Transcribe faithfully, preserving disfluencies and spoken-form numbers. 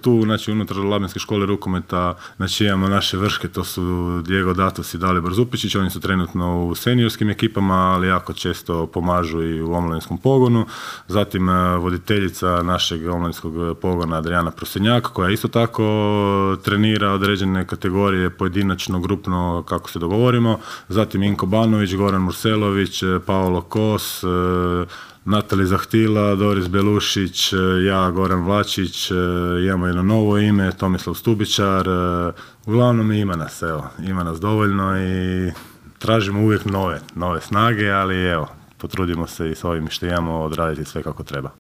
tu, znači unutar Labinske škole rukometa, znači imamo naše vrške, to su Diego Datos i Dalibor Zupičić, oni su trenutno u seniorskim ekipama, ali jako često pomažu i u omladinskom pogonu. Zatim voditeljica našeg omladinskog pogona Adriana Prosenjak, koja isto tako trenira određene kategorije, pojedinačno, grupno, kako se dogovorimo. Zatim Inko Banović, Goran Murselović, Paolo Kos, Natali Zahtila, Doris Belušić, ja, Goran Vlačić, imamo jedno novo ime, Tomislav Stubičar. Uglavnom ima nas, evo, ima nas dovoljno i tražimo uvijek nove, nove snage, ali evo, potrudimo se i s ovim što imamo odraditi sve kako treba.